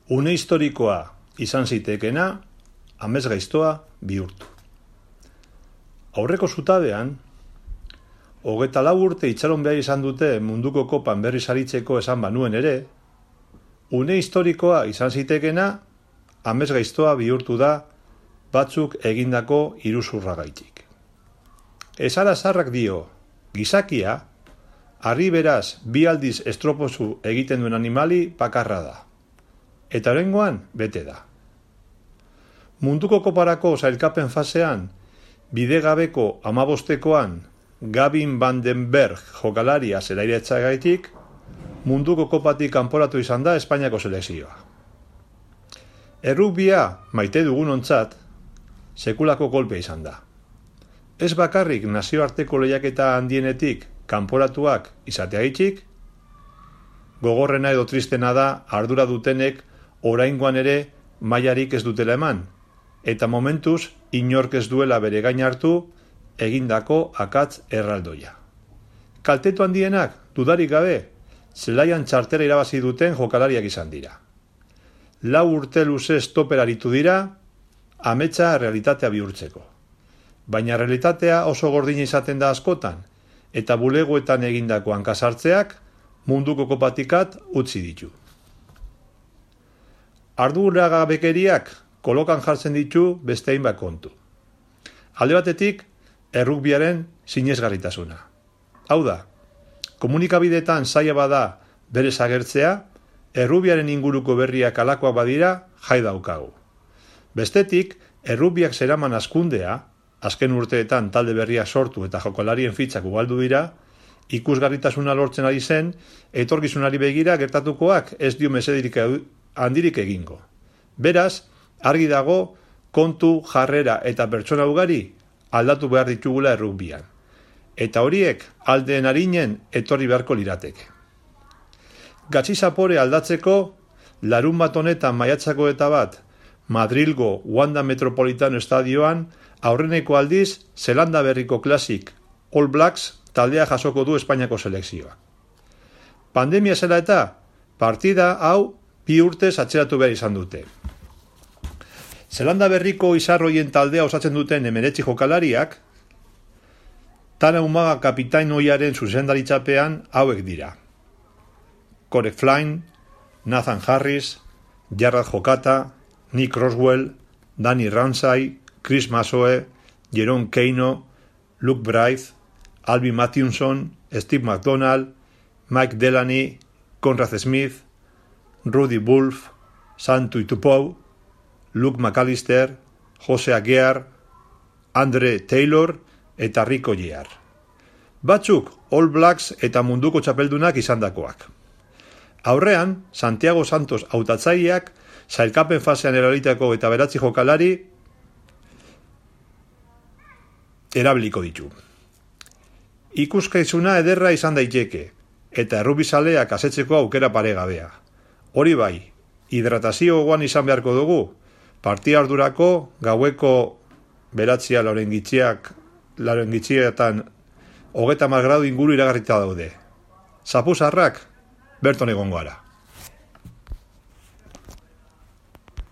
une historikoa izan zitekeena amesgaiztoa bihurtu. Aurreko zutabean, 24 urte itxaron behar izan dute munduko kopan berriz aritzeko esan banuen ere, une historikoa izan zitekeena amesgaiztoa bihurtu da batzuk egindako iruzurragaitik. Esara zarrak dio, gizakia, harri beraz bi aldiz estropozu egiten duen animali bakarra da. Eta oraingoan bete da. Munduko koparako sailkapen fasean, bidegabeko 15koan Gavin van den Berg jokalaria zelairetzagaitik, munduko kopatik kanporatu izan da Espainiako selekzioa. Errugbia maite dugunontzat, sekulako kolpea izan da. Ez bakarrik nazioarteko lehiaketa handienetik kanporatuak izateagaitik, gogorrena edo tristena da ardura dutenek oraingoan ere mailarik ez dutela eman, eta momentuz inork ez duela bere gain hartu egindako akatz erraldoia. Kaltetu handienak, dudarik gabe, zelaian txartela irabazi duten jokalariak izan dira. 4 urte luzez toper aritu dira, ametsa realitatea bihurtzeko. Baina realitatea oso gordina izaten da askotan, eta bulegoetan egindako hankasartzeak munduko kopatikat utzi ditu. Arduragabekeriak kolokan jartzen ditu beste hainbat kontu. Alde batetik, errugbiaren sinesgarritasuna. Hau da, komunikabideetan zaila bada berez agertzea, errugbiaren inguruko berriak alakoak badira jai daukagu. Bestetik, errugbiak zeraman hazkundea, azken urteetan talde berriak sortu eta jokalarien fitxak ugaldu dira, ikusgarritasuna lortzen ari zen, etorkizunari begira gertatukoak ez dio mesedirik handirik egingo. Beraz, argi dago, kontu, jarrera eta pertsona ugari aldatu behar ditugula errugbian. Eta horiek aldeen arinen etorri beharko lirateke. Gatsi zapore aldatzeko, larun bat honetan maiatzako eta bat, Madrilgo Wanda Metropolitano estadioan, aurreneko aldiz, Zelanda berriko klasik All Blacks taldea jasoko du Espainiako selekzioa. Pandemia zela eta, partida hau 2 urtez atzeratu behar izan dute. Zelanda berriko izarroien taldea osatzen duten 19 jokalariak, Tana Umaga kapitain ohiaren zuzendaritzapean hauek dira. Corey Flynn, Nathan Harris, Jarrad Jokata, Nick Roswell, Danny Ramsay, Chris Masoe, Jerome Keino, Luke Bryce, Alvin Matthewson, Steve McDonald, Mike Delaney, Conrad Smith, Rudy Wolf, Santu Tupou, Luke McAllister, Jose Aguiar, Andre Taylor eta Rico Year. Batzuk All Blacks eta munduko txapeldunak izandakoak. Aurrean, Santiago Santos hautatzaileak sailkapen fasean erabilitako eta 9 jokalari erabiliko ditu. Ikuskaizuna ederra izan daiteke, eta errubizaleak asetzeko aukera paregabea. Hori bai, hidratazio gogoan izan beharko dugu, partia ardurako gaueko 9 laurengitxietan 30 gradu inguru iragarrita daude. Zapuzarrak, berton egongo gara.